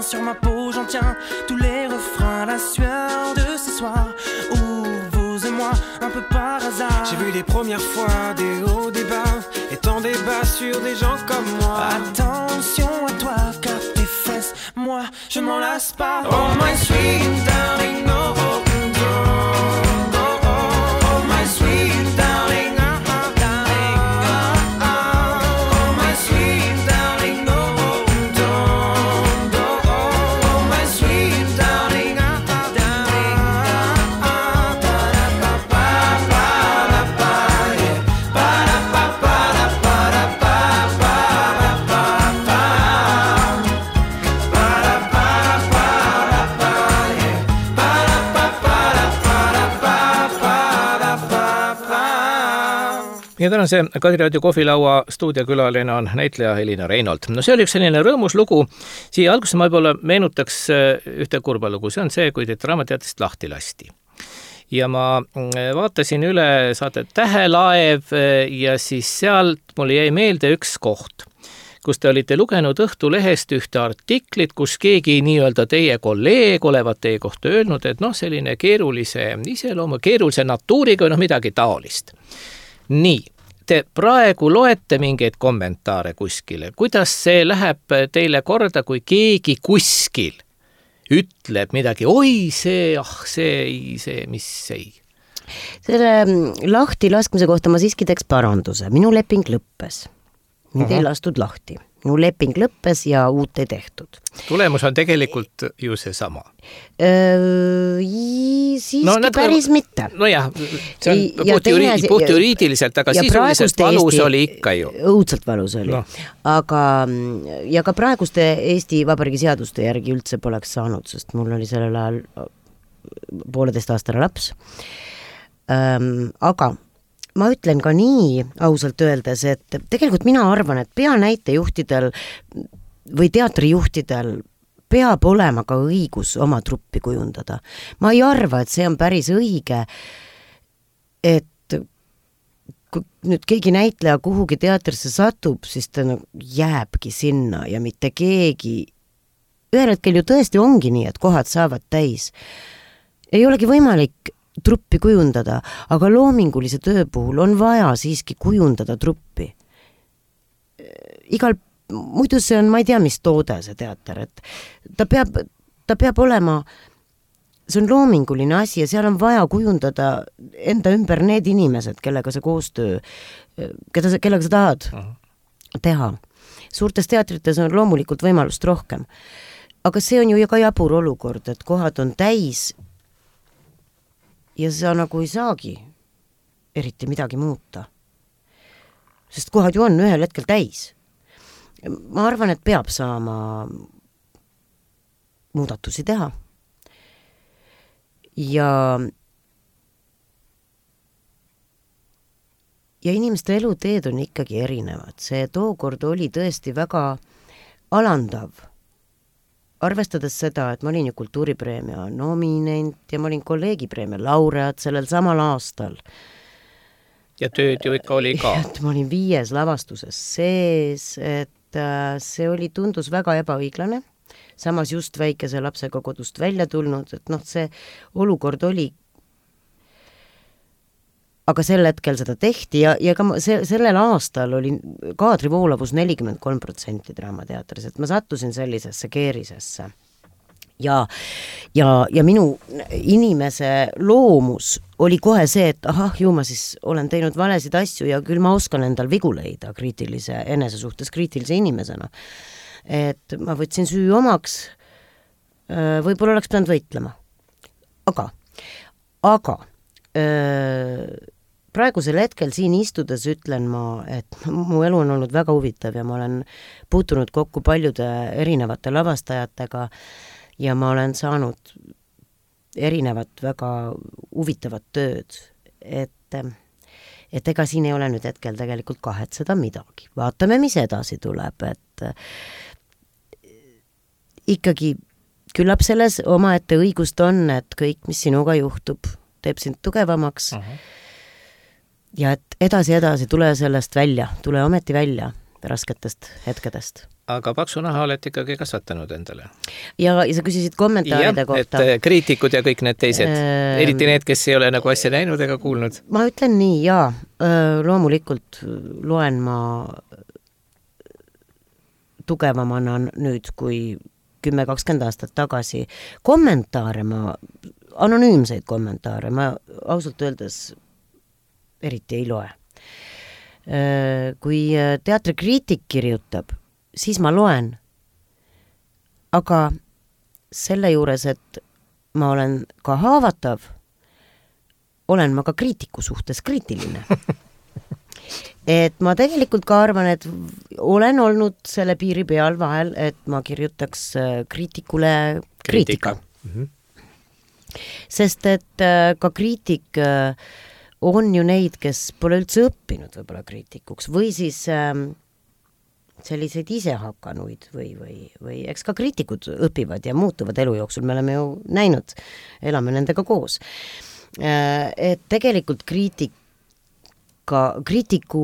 Sur ma peau, j'en tiens tous les refrains, la sueur de ces soirs où vous et moi, un peu par hasard. J'ai vu les premières fois des hauts, des bas, et tant des bas sur des gens comme moi. Attention à toi, car tes fesses, moi, je m'en lasse pas. Oh my sweet darling, no, don't go, oh my sweet darling. Ja tänase Kadiraadio kohvilaua stuudiokülaline on näitleja Elina Reinold. No see oli üks selline rõõmus lugu. Siia alguses ma võib-olla meenutaks ühte kurba lugu. See on see, kui teid Draamateatrist lahti lasti. Ja ma vaatasin üle saate Tähelaev ja siis sealt mulle jäi meelde üks koht, kus te olite lugenud Õhtulehest ühte artiklit, kus keegi nii-öelda teie kolleeg olevat teie kohta öelnud, et selline keerulise iseloomu, keerulise natuuriga või midagi taolist. Nii, te praegu loete mingeid kommentaare kuskile, kuidas see läheb teile korda, kui keegi kuskil ütleb midagi, oi see, mis ei. Selle lahti laskmise kohta ma siiski teeks paranduse. Minu leping lõppes. Mind ei lastud lahti. Minu leping lõppes ja uut ei tehtud. Tulemus on tegelikult ju see sama. Siiski päris mitte. Nojah, see on puht juriidiliselt, aga sisuliselt valus oli ikka ju. Õudselt valus oli. No. Aga ja ka praeguste Eesti Vabariigi seaduste järgi üldse poleks saanud, sest mul oli sellel ajal 1,5-aastane laps. Aga ma ütlen ka nii ausalt öeldes, et tegelikult mina arvan, et peanäitejuhtidel või teatrijuhtidel peab olema ka õigus oma truppi kujundada. Ma ei arva, et see on päris õige, et kui nüüd keegi näitleja kuhugi teatrisse satub, siis ta jääbki sinna ja mitte keegi. Ühel hetkel ju tõesti ongi nii, et kohad saavad täis. Ei olegi võimalik truppi kujundada, aga loomingulise töö puhul on vaja siiski kujundada truppi. Muidu see on, ma ei tea, mis toode see teater, et ta peab olema, see on loominguline asi ja seal on vaja kujundada enda ümber need inimesed, kellega see koostöö, kellega sa tahad teha. Suurtes teatrites on loomulikult võimalust rohkem, aga see on ju ka jabur olukord, et kohad on täis ja sa nagu ei saagi eriti midagi muuta. Sest kohad ju on ühel hetkel täis. Ma arvan, et peab saama muudatusi teha. Ja inimeste eluteed on ikkagi erinevad. See tookord oli tõesti väga alandav. Arvestades seda, et ma olin ju kultuuripreemia nominent ja ma olin kolleegipreemia laureaat sellel samal aastal. Ja tööd ju ikka oli ka. Et ma olin 5 lavastuses sees, et see tundus väga ebaõiglane. Samas just väikese lapsega kodust välja tulnud, et see olukord oli. Aga sel hetkel seda tehti ja ka sellel aastal oli kaadrivoolavus 43% Draamateatris, et ma sattusin sellisesse keerisesse. Ja minu inimese loomus oli kohe see, et ju ma siis olen teinud valesid asju ja küll ma oskan endal vigu leida enese suhtes kriitilise inimesena. Et ma võtsin süü omaks, võib-olla oleks pidanud võitlema. Aga praegusel hetkel siin istudes ütlen ma, et mu elu on olnud väga huvitav ja ma olen puutunud kokku paljude erinevate lavastajatega ja ma olen saanud erinevat väga huvitavat tööd, et ega siin ei ole nüüd hetkel tegelikult kahetseda midagi. Vaatame, mis edasi tuleb, et ikkagi küllap selles omaette õigust on, et kõik, mis sinuga juhtub, teeb sind tugevamaks. Ja et edasi tule sellest välja, tule ometi välja rasketest hetkedest. Aga paksu naha olete ikkagi kasvatanud endale. Ja sa küsisid kommentaaride kohta. Et kriitikud ja kõik need teised, eriti need, kes ei ole nagu asja näinud ega kuulnud. Ma ütlen nii, loomulikult loen ma tugevamana nüüd kui 10-20 aastat tagasi. Kommentaare anonüümseid kommentaare ma ausalt öeldes eriti ei loe. Kui teatrikriitik kirjutab, siis ma loen. Aga selle juures, et ma olen ka haavatav, olen ma ka kriitiku suhtes kriitiline. Et ma tegelikult ka arvan, et olen olnud selle piiri peal vahel, et ma kirjutaks kriitikule kriitika. Sest et ka kriitik on ju neid, kes pole üldse õppinud võib-olla kriitikuks või siis selliseid isehakanuid või eks ka kriitikud õpivad ja muutuvad elu jooksul, me oleme ju näinud, elame nendega koos. Et tegelikult kriitiku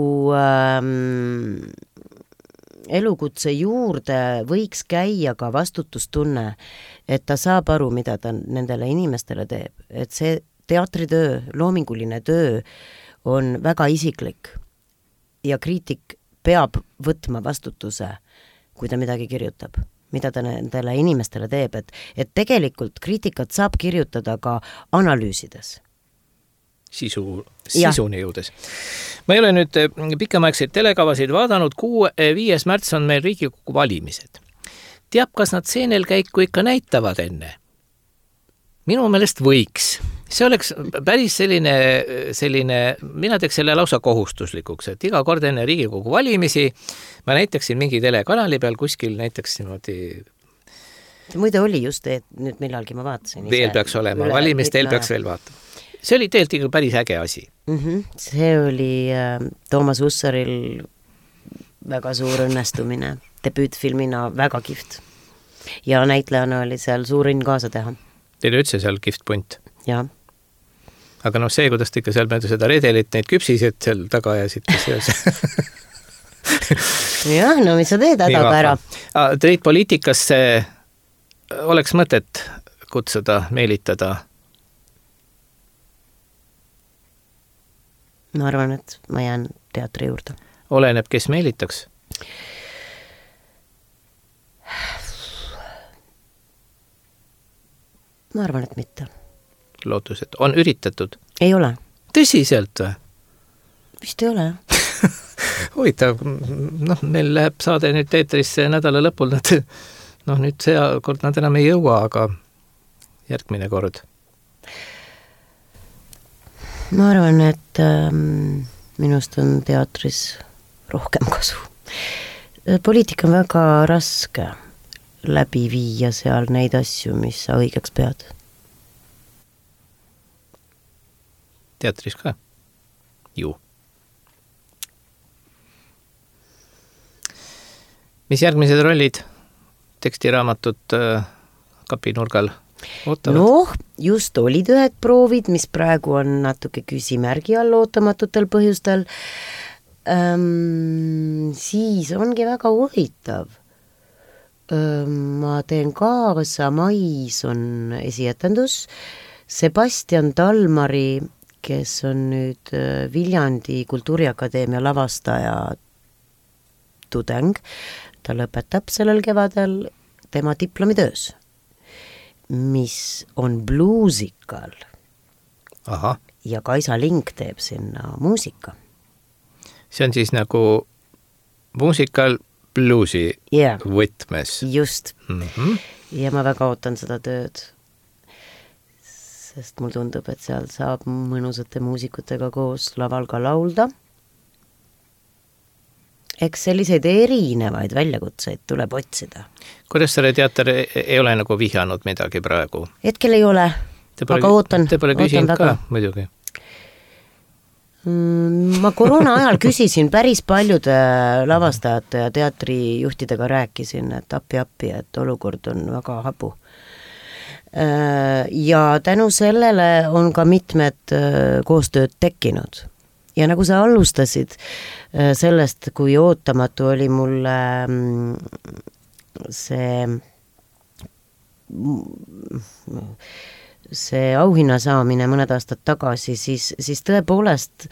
elukutse juurde võiks käia ka vastutustunne, et ta saab aru, mida ta nendele inimestele teeb, et see teatritöö, loominguline töö on väga isiklik ja kriitik peab võtma vastutuse, kui ta midagi kirjutab, mida ta nendele inimestele teeb, et tegelikult kriitikat saab kirjutada ka analüüsides. Sisuni jõudes. Ma ei ole nüüd pikemaegseid telekavasid vaadanud, 5. märts on meil Riigikogu valimised. Teab, kas nad seenelkäiku ikka näitavad enne? Minu meelest võiks. See oleks päris selline, mina teeks selle lausa kohustuslikuks, et iga kord enne Riigikogu valimisi ma näitaksin mingi telekanali peal kuskil näiteks niimoodi. Muide oli just, et nüüd millalgi ma vaatasin. Veel peaks olema, valimistel peaks veel vaatama. See oli tegelikult päris äge asi. See oli Toomas Ussaril väga suur õnnestumine. Debüütfilmina väga kihvt. Ja näitlejana oli seal suur õnn kaasa teha. Teil üldse seal kihvt punt? Jaa. Aga see, kuidas te ikka seal mööda seda redelit neid küpsised seal taga ajasid, kes jah, no mis sa teed hädaga ära? Teid poliitikasse oleks mõtet kutsuda, meelitada? Ma arvan, et ma jään teatri juurde. Oleneb, kes meelitaks? Ma arvan, et mitte. Lootus, et on üritatud? Ei ole. Tõsiselt või? Vist ei ole. Huvitav, meil läheb saade nüüd teetrisse nädala lõpul, nüüd see kord nad enam ei jõua, aga järgmine kord. Ma arvan, et minust on teatris rohkem kasu. Poliitika on väga raske läbi viia seal neid asju, mis sa õigeks pead. Teatris ka? Ju. Mis järgmised rollid tekstiraamatud kapinurgal ootavad? Just olid ühed proovid, mis praegu on natuke küsimärgi all ootamatutel põhjustel. Siis ongi väga huvitav. Ma teen Kaasa mais on esietendus. Sebastian Talmari, kes on nüüd Viljandi Kultuuriakadeemia lavastaja tudeng, ta lõpetab sellel kevadel tema diplomitöös, mis on bluusikal. Aha. Ja Kaisa Link teeb sinna muusika. See on siis nagu muusikal bluusi võtmes. Just. Ja ma väga ootan seda tööd, sest mul tundub, et seal saab mõnusate muusikutega koos laval ka laulda. Eks selliseid erinevaid väljakutseid tuleb otsida. Kuressaare teater ei ole nagu vihjanud midagi praegu? Hetkel ei ole, aga ootan. Te pole küsinud ka, muidugi? Ma koroona ajal küsisin päris paljude lavastajate ja teatrijuhtidega rääkisin, et appi, et olukord on väga hapu. Ja tänu sellele on ka mitmed koostööd tekkinud. Ja nagu sa alustasid sellest, kui ootamatu oli mulle see auhinna saamine mõned aastad tagasi, siis tõepoolest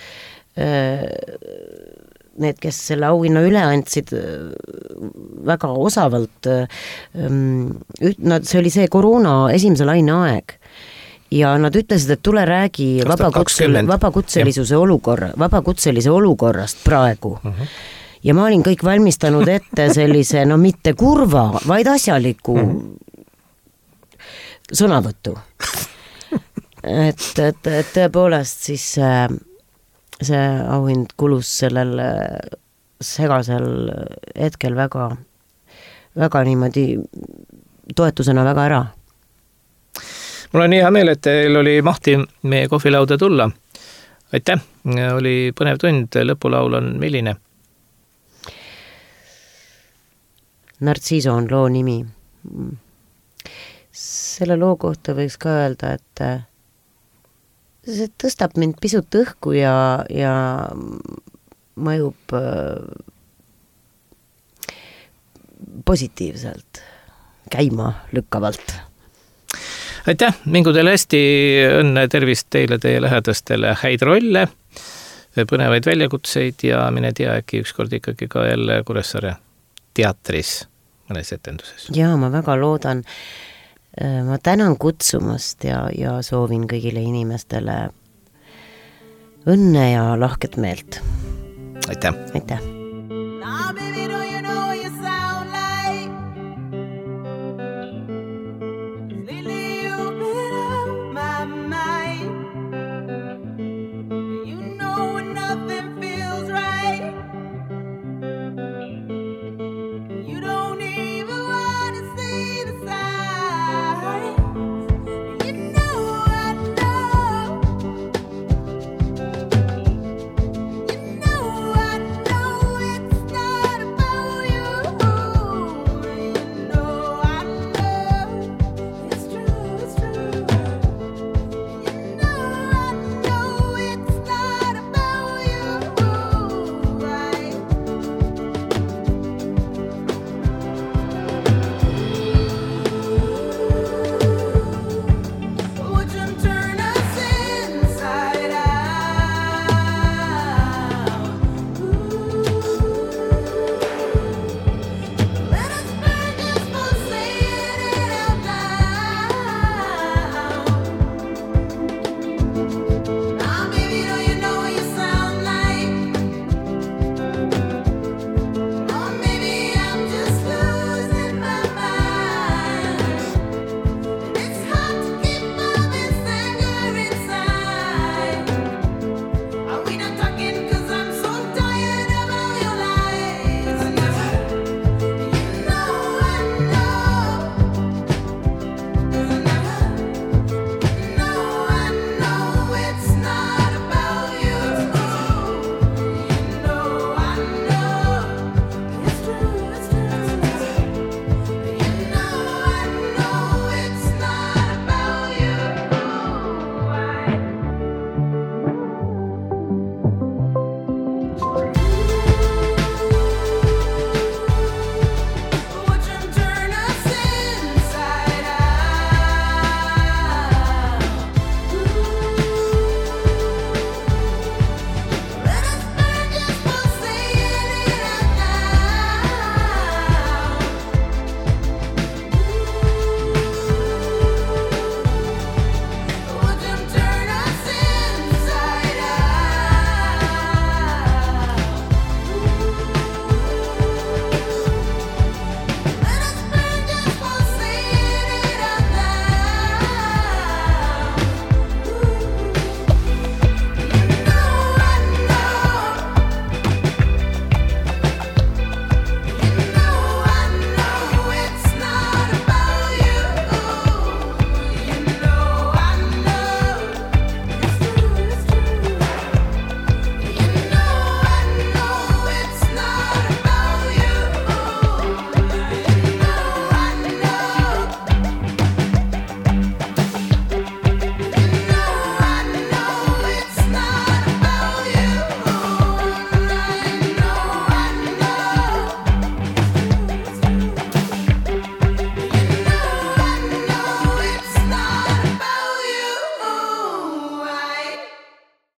need, kes selle auhinna üle andsid väga osavalt, see oli see koroona esimese laine aeg. Ja nad ütlesid, et tule räägi vabakutselise olukorrast praegu. Ja ma olin kõik valmistanud ette sellise, mitte kurva, vaid asjaliku sõnavõttu. Et tõepoolest siis see auhind kulus sellel segasel hetkel väga niimoodi toetusena väga ära. Mul on hea meel, et teil oli mahti meie kohvilauda tulla. Aitäh, oli põnev tund, lõpulaul on milline? Narciso on loo nimi. Selle loo kohta võiks ka öelda, et see tõstab mind pisut õhku ja mõjub positiivselt, käima lükkavalt. Aitäh, mingu teile hästi, õnne, tervist teile, teie lähedastele, häid rolle, põnevaid väljakutseid ja mine tea, äkki ükskord ikkagi ka jälle Kuressaare teatris mõnes etenduses. Jaa, ma väga loodan. Ma tänan kutsumast ja soovin kõigile inimestele õnne ja lahket meelt. Aitäh! Aitäh!